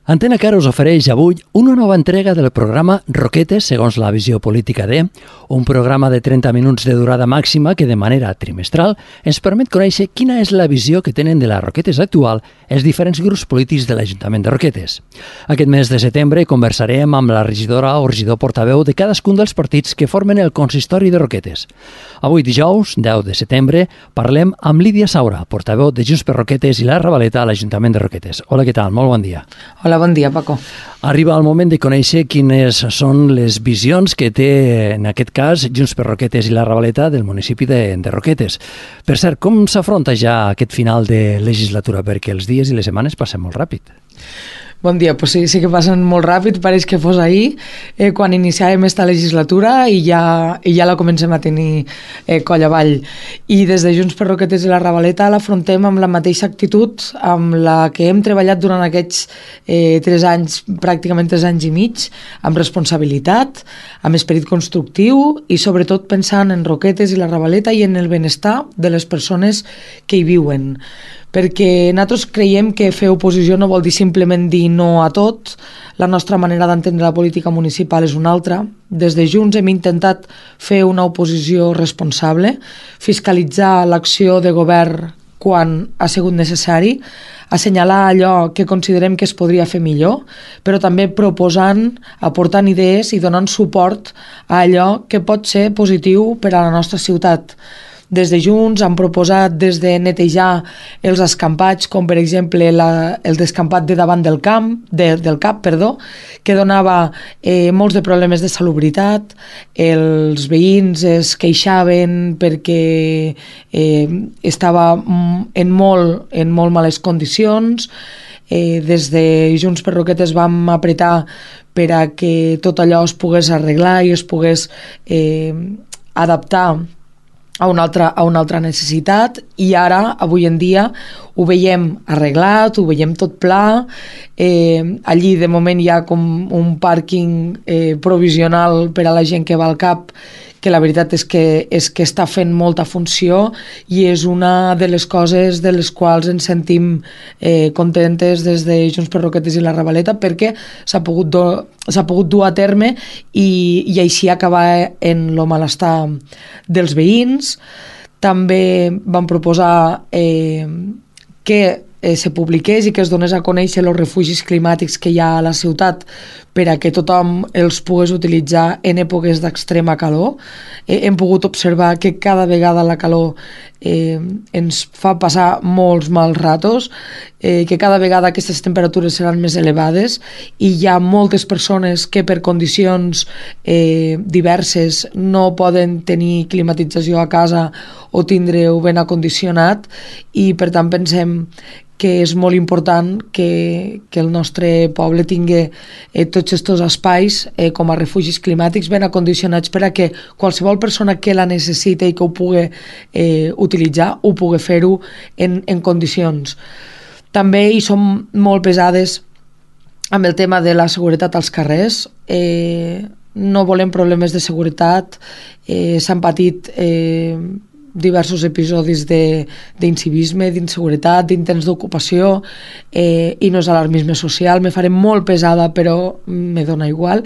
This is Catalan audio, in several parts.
Antena Cara us ofereix avui una nova entrega del programa Roquetes, segons la visió política de, un programa de 30 minuts de durada màxima que de manera trimestral ens permet conèixer quina és la visió que tenen de la Roquetes actual els diferents grups polítics de l'Ajuntament de Roquetes. Aquest mes de setembre conversarem amb la regidora o regidor portaveu de cadascun dels partits que formen el consistori de Roquetes. Avui dijous, 10 de setembre, parlem amb Lídia Saura, portaveu de Junts per Roquetes i la Ravaleta a l'Ajuntament de Roquetes. Hola, què tal? Molt bon dia. Hola, bon dia, Paco. Arriba el moment de conèixer quines són les visions que té, en aquest cas, Junts per Roquetes i la Ravaleta del municipi de Roquetes. Per cert, com s'afronta ja aquest final de legislatura? Perquè els dies i les setmanes passen molt ràpid. Bon dia, pues sí que passen molt ràpid, pareix que fos ahir, quan iniciàvem esta legislatura i ja la comencem a tenir coll avall. I des de Junts per Roquetes i la Ravaleta l'afrontem amb la mateixa actitud amb la que hem treballat durant aquests 3 anys, pràcticament 3 anys i mig, amb responsabilitat, amb esperit constructiu i sobretot pensant en Roquetes i la Ravaleta i en el benestar de les persones que hi viuen. Perquè nosaltres creiem que fer oposició no vol dir simplement dir no a tot. La nostra manera d'entendre la política municipal és una altra. Des de Junts hem intentat fer una oposició responsable, fiscalitzar l'acció de govern quan ha sigut necessari, assenyalar allò que considerem que es podria fer millor, però també proposant, aportant idees i donant suport a allò que pot ser positiu per a la nostra ciutat. Des de Junts han proposat des de netejar els escampats, com per exemple el descampat de davant del CAP, que donava molts de problemes de salubritat. Els veïns es queixaven perquè estava en molt males condicions. Des de Junts per Roquetes vam apretar per a que tot allò es pogués arreglar i es pogués adaptar a una altra necessitat, i ara, avui en dia, ho veiem arreglat, ho veiem tot pla. Allí de moment hi ha com un pàrquing provisional per a la gent que va al CAP, que la veritat és que està fent molta funció i és una de les coses de les quals ens sentim contentes des de Junts per Roquetes i la Ravaleta, perquè s'ha pogut dur a terme i així acabar en el malestar dels veïns. També vam proposar que se publiqués i que es donés a conèixer els refugis climàtics que hi ha a la ciutat per a que tothom els pogués utilitzar en èpoques d'extrema calor. Hem pogut observar que cada vegada la calor ens fa passar molts mals ratos, que cada vegada aquestes temperatures seran més elevades i hi ha moltes persones que per condicions diverses no poden tenir climatització a casa o tindre-ho ben acondicionat, i per tant pensem que és molt important que el nostre poble tingui tots aquests espais com a refugis climàtics ben acondicionats per a que qualsevol persona que la necessita i que ho pugui utilitzar, ho pugui fer-ho en condicions. També hi som molt pesades amb el tema de la seguretat als carrers. No volem problemes de seguretat. S'han patit diversos episodis d'incivisme, d'inseguretat, d'intents d'ocupació, i no és alarmisme social. Me faré molt pesada, però me dona igual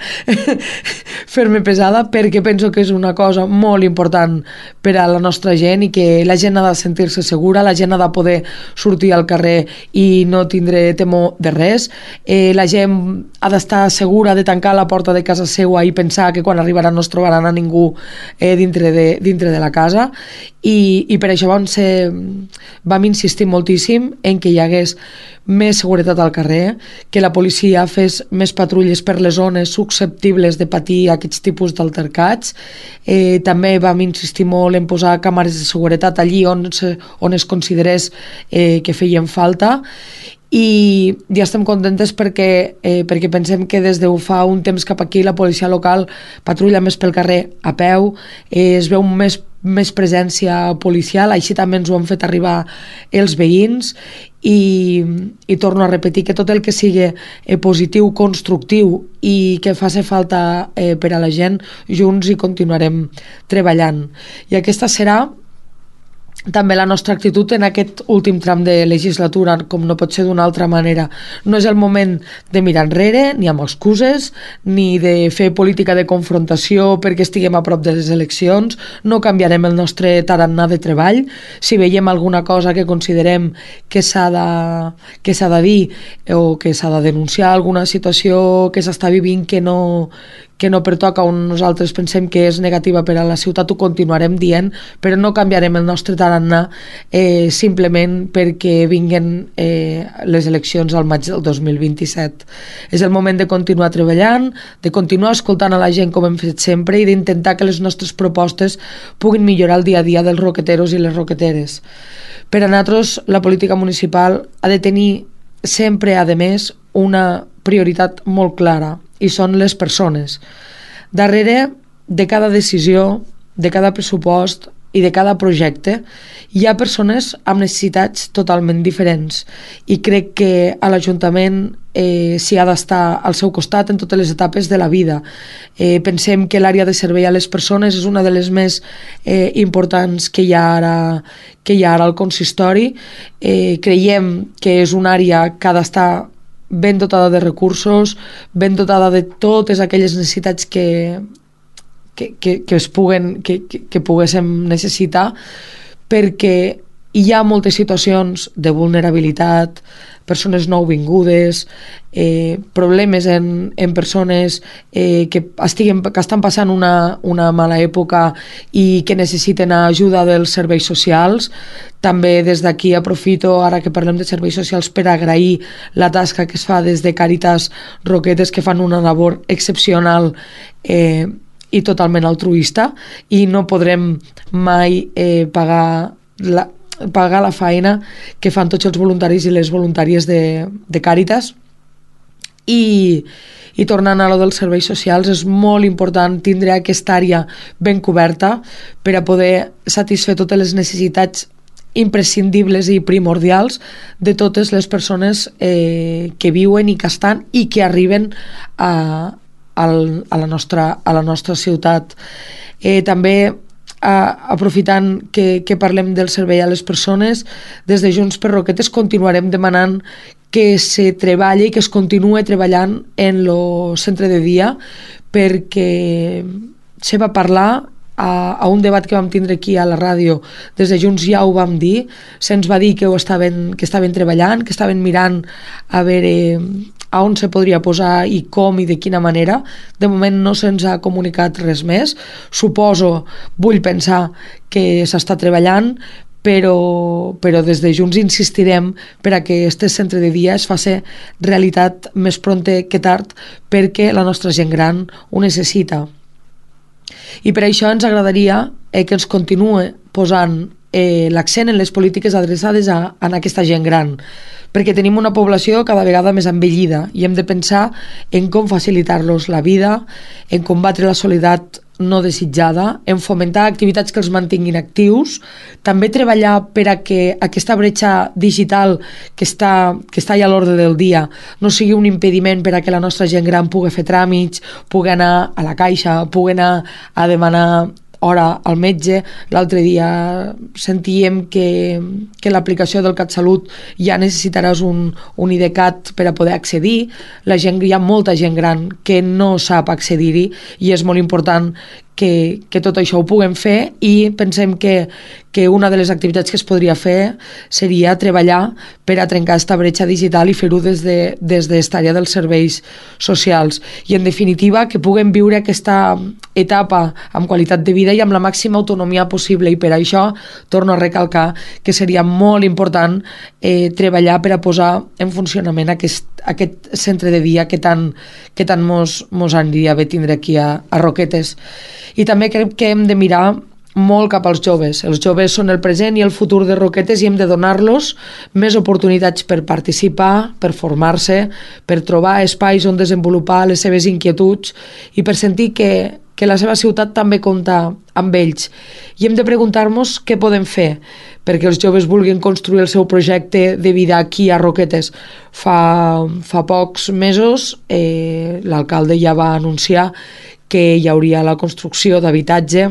fer-me pesada, perquè penso que és una cosa molt important per a la nostra gent i que la gent ha de sentir-se segura, la gent ha de poder sortir al carrer i no tindre temor de res. La gent ha d'estar segura de tancar la porta de casa seva i pensar que quan arribaran no es trobaran a ningú dintre de la casa. I per això vam insistir moltíssim en que hi hagués més seguretat al carrer, que la policia fes més patrulles per les zones susceptibles de patir aquests tipus d'altercats. També vam insistir molt en posar càmeres de seguretat allí on es considerés que feien falta. I ja estem contentes perquè pensem que des de fa un temps cap aquí la policia local patrulla més pel carrer a peu, es veu més presència policial, així també ens ho han fet arribar els veïns, i torno a repetir que tot el que sigui positiu, constructiu i que faci falta per a la gent, junts hi continuarem treballant. I aquesta serà també la nostra actitud en aquest últim tram de legislatura, com no pot ser d'una altra manera. No és el moment de mirar enrere, ni amb excuses, ni de fer política de confrontació perquè estiguem a prop de les eleccions. No canviarem el nostre tarannà de treball. Si veiem alguna cosa que considerem que s'ha de dir o que s'ha de denunciar, alguna situació que s'està vivint que no pertoca on nosaltres pensem que és negativa per a la ciutat, ho continuarem dient, però no canviarem el nostre tarannà simplement perquè vinguen les eleccions al maig del 2027. És el moment de continuar treballant, de continuar escoltant a la gent com hem fet sempre i d'intentar que les nostres propostes puguin millorar el dia a dia dels roqueteros i les roqueteres. Per a nosaltres, la política municipal ha de tenir sempre, a més, una prioritat molt clara, i són les persones. Darrere de cada decisió, de cada pressupost i de cada projecte hi ha persones amb necessitats totalment diferents i crec que a l'Ajuntament s'hi ha d'estar al seu costat en totes les etapes de la vida. Pensem que l'àrea de servei a les persones és una de les més importants que hi ha ara al consistori. Creiem que és una àrea que ha d'estar ben dotada de recursos, ben dotada de totes aquelles necessitats que poguéssim necessitar, perquè hi ha moltes situacions de vulnerabilitat, persones nouvingudes, problemes en persones que estan passant una mala època i que necessiten ajuda dels serveis socials. També des d'aquí aprofito, ara que parlem de serveis socials, per agrair la tasca que es fa des de Càritas Roquetes, que fan una labor excepcional i totalment altruista, i no podrem mai pagar la feina que fan tots els voluntaris i les voluntàries de Càritas. I tornant a lo dels serveis socials, és molt important tindre aquesta àrea ben coberta per a poder satisfer totes les necessitats imprescindibles i primordials de totes les persones que viuen i que estan i que arriben a la nostra ciutat. També aprofitant que parlem del servei a les persones, des de Junts per Roquetes continuarem demanant que se treballi i que es continue treballant en el centre de dia, perquè se va parlar a un debat que vam tindre aquí a la ràdio. Des de Junts ja ho vam dir, se'ns va dir que estaven treballant, que estaven mirant a veure a on se podria posar i com i de quina manera. De moment no se'ns ha comunicat res més. Vull pensar que s'està treballant, però des de Junts insistirem per a que este centre de dia es faci realitat més pronte que tard, perquè la nostra gent gran ho necessita. I per això ens agradaria que ens continue posant l'accent en les polítiques adreçades a aquesta gent gran, perquè tenim una població cada vegada més envellida i hem de pensar en com facilitar-los la vida, en combatre la soledat no desitjada, en fomentar activitats que els mantinguin actius, també treballar per a que aquesta bretxa digital que està ja a l'ordre del dia no sigui un impediment per a que la nostra gent gran pugui fer tràmits, pugui anar a la caixa, pugui anar a demanar hora al metge. L'altre dia sentíem que l'aplicació del CatSalut ja necessitaràs un IDCAT per a poder accedir. Hi ha molta gent gran que no sap accedir-hi i és molt important que tot això ho puguem fer, i pensem que una de les activitats que es podria fer seria treballar per a trencar aquesta bretxa digital i fer-ho des d'esta àrea dels serveis socials. I en definitiva que puguem viure aquesta etapa amb qualitat de vida i amb la màxima autonomia possible, i per això torno a recalcar que seria molt important treballar per a posar en funcionament aquest centre de dia que tant mos aniria bé tindre aquí a Roquetes. I també crec que hem de mirar molt cap als joves. Els joves són el present i el futur de Roquetes i hem de donar-los més oportunitats per participar, per formar-se, per trobar espais on desenvolupar les seves inquietuds i per sentir que la seva ciutat també compta amb ells. I hem de preguntar-nos què podem fer perquè els joves vulguin construir el seu projecte de vida aquí a Roquetes. Fa pocs mesos l'alcalde ja va anunciar que hi hauria la construcció d'habitatge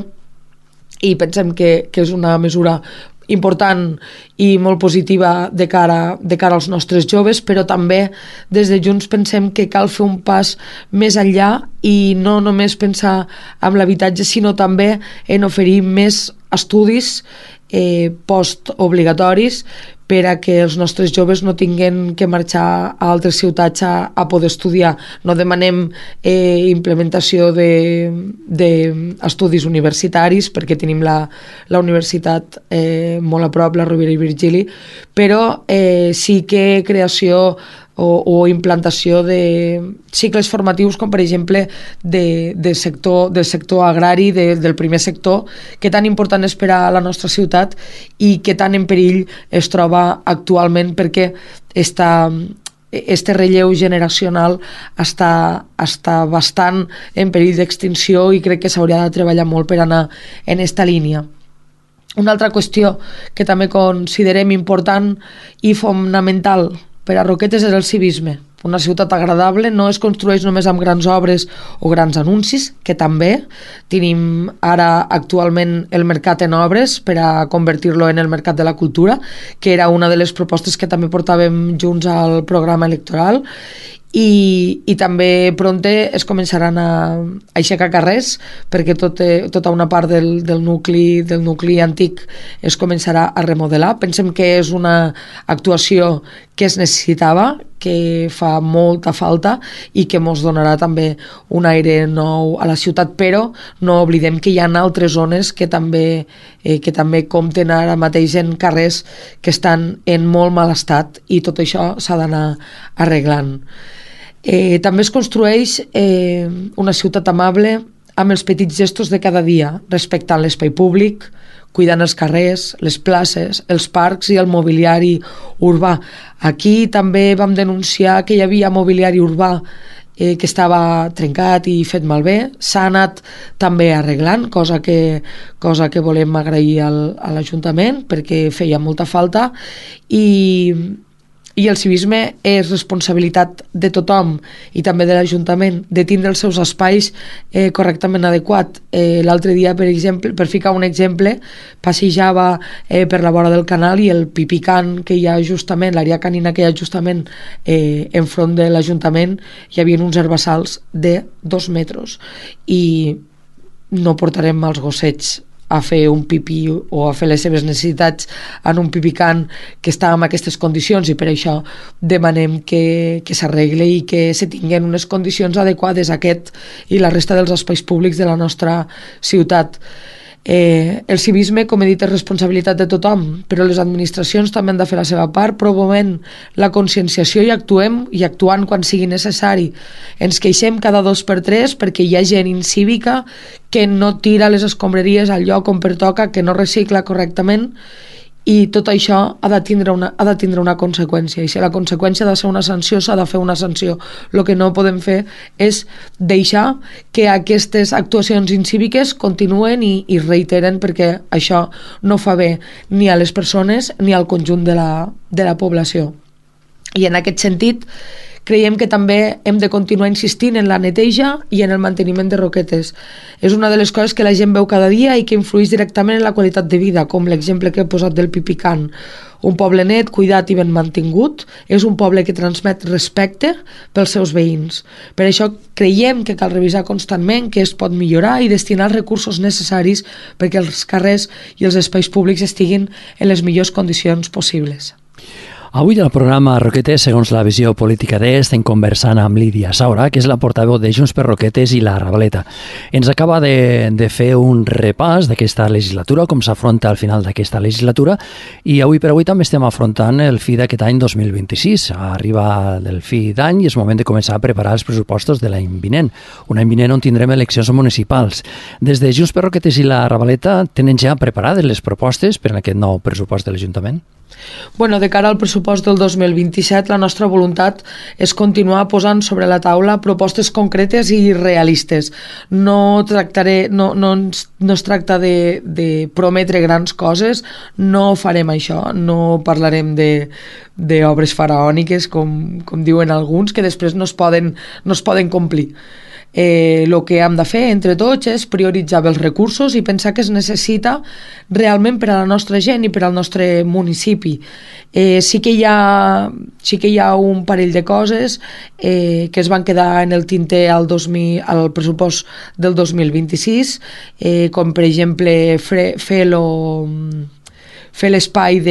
i pensem que és una mesura important i molt positiva de cara als nostres joves, però també des de Junts pensem que cal fer un pas més enllà i no només pensar en l'habitatge, sinó també en oferir més estudis postobligatoris per a que els nostres joves no tinguin que marxar a altres ciutats a poder estudiar. No demanem implementació d'estudis universitaris perquè tenim la universitat molt a prop, la Rovira i Virgili, però sí que creació o implantació de cicles formatius com per exemple del sector agrari, del primer sector, que tan important és per a la nostra ciutat i que tan en perill es troba actualment perquè este relleu generacional està bastant en perill d'extinció i crec que s'hauria de treballar molt per anar en esta línia. Una altra qüestió que també considerem important i fonamental per a Roquetes és el civisme. Una ciutat agradable no es construeix només amb grans obres o grans anuncis, que també tenim ara actualment el mercat en obres per a convertir-lo en el mercat de la cultura, que era una de les propostes que també portàvem junts al programa electoral, i també pronte es començaran a aixecar carrers perquè tota una part del nucli antic es començarà a remodelar. Pensem que és una actuació que es necessitava, que fa molta falta i que ens donarà també un aire nou a la ciutat, però no oblidem que hi ha altres zones que també compten ara mateix en carrers que estan en molt mal estat i tot això s'ha d'anar arreglant. També es construeix una ciutat amable amb els petits gestos de cada dia, respectant l'espai públic, cuidant els carrers, les places, els parcs i el mobiliari urbà. Aquí també vam denunciar que hi havia mobiliari urbà que estava trencat i fet malbé. S'ha anat també arreglant, cosa que volem agrair a l'Ajuntament perquè feia molta falta i el civisme és responsabilitat de tothom i també de l'Ajuntament de tindre els seus espais correctament adequat. L'altre dia, per exemple, per ficar un exemple, passejava per la vora del canal i el pipicant que hi ha justament, l'àrea canina que hi ha justament enfront de l'Ajuntament, hi havia uns herbassals de 2 metres i no portarem els gossets a fer un pipí o a fer les seves necessitats en un pipicant que està en aquestes condicions, i per això demanem que s'arregle i que se tinguin unes condicions adequades a aquest i la resta dels espais públics de la nostra ciutat. El civisme, com he dit, és responsabilitat de tothom, però les administracions també han de fer la seva part, promovent la conscienciació i actuant quan sigui necessari. Ens queixem cada 2x3 perquè hi ha gent incívica que no tira les escombraries al lloc on pertoca, que no recicla correctament, i tot això ha de tindre una conseqüència, i si la conseqüència ha de ser una sanció, s'ha de fer una sanció. El que no podem fer és deixar que aquestes actuacions incíviques continuen i reiteren, perquè això no fa bé ni a les persones ni al conjunt de la població. I en aquest sentit creiem que també hem de continuar insistint en la neteja i en el manteniment de Roquetes. És una de les coses que la gent veu cada dia i que influeix directament en la qualitat de vida, com l'exemple que he posat del pipicant. Un poble net, cuidat i ben mantingut és un poble que transmet respecte pels seus veïns. Per això creiem que cal revisar constantment què es pot millorar i destinar els recursos necessaris perquè els carrers i els espais públics estiguin en les millors condicions possibles. Avui al programa Roquetes, segons la visió política d'E, estem conversant amb Lídia Saura, que és la portaveu de Junts per Roquetes i la Ravaleta. Ens acaba de fer un repàs d'aquesta legislatura, com s'afronta al final d'aquesta legislatura, i avui per avui també estem afrontant el fi d'aquest any 2026. Arriba el fi d'any i és moment de començar a preparar els pressupostos de l'any vinent. Un any vinent on tindrem eleccions municipals. Des de Junts per Roquetes i la Ravaleta tenen ja preparades les propostes per a aquest nou pressupost de l'Ajuntament? Bueno, de cara al pressupost del 2027, la nostra voluntat és continuar posant sobre la taula propostes concretes i realistes. No es tracta de prometre grans coses, no farem això, no parlarem d'obres faraòniques, com diuen alguns, que després no es poden complir. El que hem de fer entre tots és prioritzar bé els recursos i pensar que es necessita realment per a la nostra gent i per al nostre municipi. Sí que hi ha un parell de coses que es van quedar en el tinter al pressupost del 2026, com per exemple fer l'espai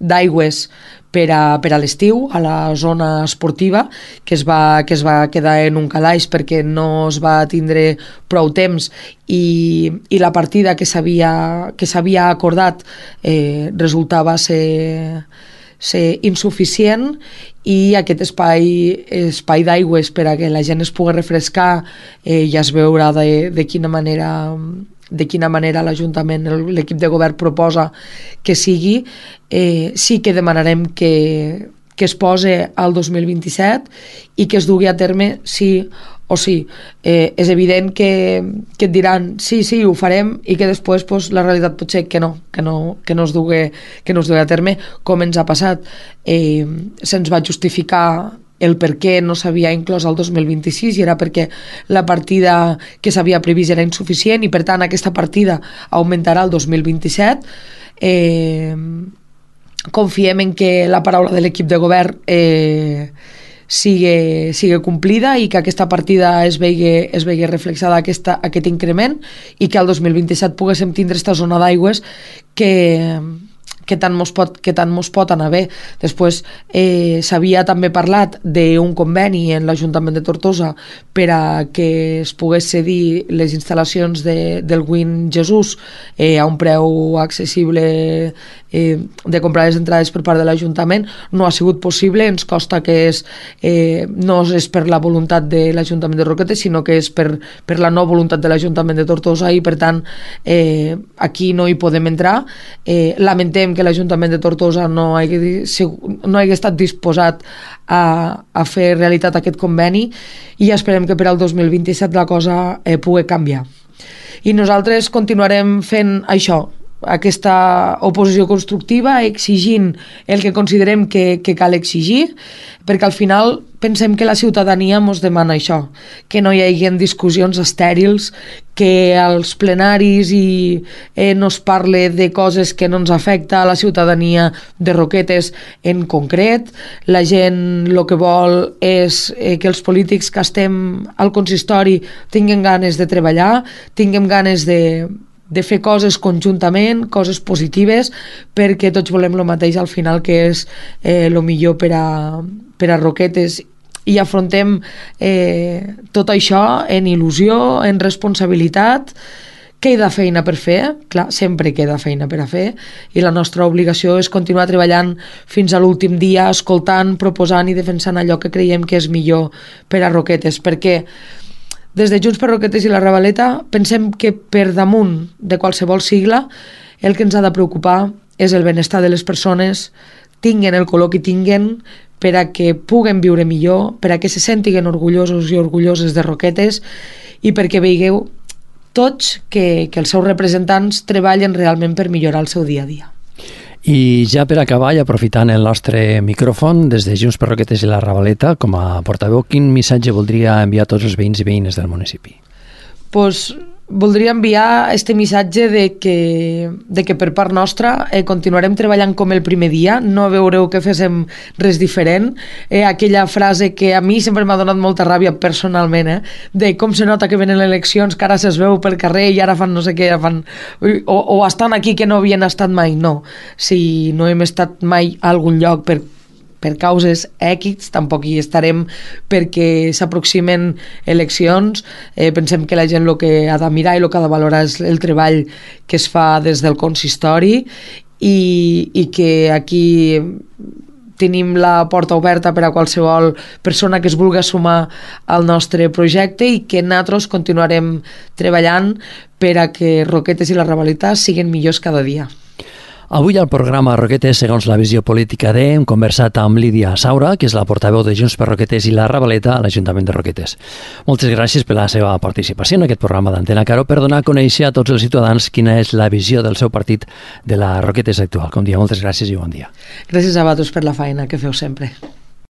d'aigües per a l'estiu, a la zona esportiva, que es va quedar en un calaix perquè no es va tindre prou temps i la partida que s'havia acordat resultava ser insuficient, i aquest espai d'aigües per a que la gent es pugui refrescar ja es veurà de quina manera l'Ajuntament, l'equip de govern proposa que sigui. Sí que demanarem que es posi al 2027 i que es dugui a terme sí o sí. És evident que et diran sí, ho farem, i que després la realitat pot ser que no es dugui a terme, com ens ha passat. Se'ns va justificar el per què no s'havia inclòs al 2026 i era perquè la partida que s'havia previst era insuficient i per tant aquesta partida augmentarà el 2027. Confiem en que la paraula de l'equip de govern sigui complida i que aquesta partida es vegi reflexada aquest increment i que al 2027 poguéssim tindre aquesta zona d'aigües que tant mos pot anar bé. Després s'havia també parlat d'un conveni en l'Ajuntament de Tortosa per a que es pogués cedir les instal·lacions del Win Jesús a un preu accessible, de comprar les entrades per part de l'Ajuntament. No ha sigut possible, ens costa que no és per la voluntat de l'Ajuntament de Roquetes, sinó que és per la no voluntat de l'Ajuntament de Tortosa, i per tant aquí no hi podem entrar. Lamentem que l'Ajuntament de Tortosa no hagi estat disposat a fer realitat aquest conveni, i esperem que per al 2027 la cosa pugui canviar. I nosaltres continuarem fent això, aquesta oposició constructiva, exigint el que considerem que cal exigir, perquè al final pensem que la ciutadania ens demana això, que no hi hagi discussions estèrils, que als plenaris no es parle de coses que no ens afecta a la ciutadania de Roquetes en concret. La gent el que vol és que els polítics que estem al consistori tinguem ganes de treballar, tinguem ganes de fer coses conjuntament, coses positives, perquè tots volem el mateix al final, que és el millor per a Roquetes, i afrontem tot això en il·lusió, en responsabilitat. Queda feina per fer, clar, sempre queda feina per a fer, i la nostra obligació és continuar treballant fins a l'últim dia, escoltant, proposant i defensant allò que creiem que és millor per a Roquetes, perquè des de Junts per Roquetes i la Ravaleta pensem que per damunt de qualsevol sigla el que ens ha de preocupar és el benestar de les persones, tinguen el color que tinguen, per a que puguen viure millor, per a que se sentin orgullosos i orgulloses de Roquetes, i perquè veieu tots que els seus representants treballen realment per millorar el seu dia a dia. I ja per acabar, i aprofitant el nostre micròfon, des de Junts per Roquetes i la Ravaleta, com a portaveu, quin missatge voldria enviar a tots els veïns i veïnes del municipi? Voldria enviar este missatge de que per part nostra continuarem treballant com el primer dia, no veureu que féssim res diferent. Aquella frase que a mi sempre m'ha donat molta ràbia personalment, de com se nota que venen eleccions, que ara se'ls veu pel carrer i ara fan no sé què, o estan aquí que no havien estat mai. No, si no hem estat mai a algun lloc per causes X, tampoc hi estarem perquè s'aproximen eleccions. Pensem que la gent el que ha de mirar i el que ha de valorar és el treball que es fa des del consistori, i que aquí tenim la porta oberta per a qualsevol persona que es vulgui sumar al nostre projecte, i que nosaltres continuarem treballant per a que Roquetes i la Ravaleta siguin millors cada dia. Avui al programa Roquetes segons la visió política de hem conversat amb Lídia Saura, que és la portaveu de Junts per Roquetes i la Ravaleta a l'Ajuntament de Roquetes. Moltes gràcies per la seva participació en aquest programa d'Antena Caro per donar a conèixer a tots els ciutadans quina és la visió del seu partit de la Roquetes actual. Com dia, moltes gràcies i bon dia. Gràcies a vosaltres per la feina que feu sempre.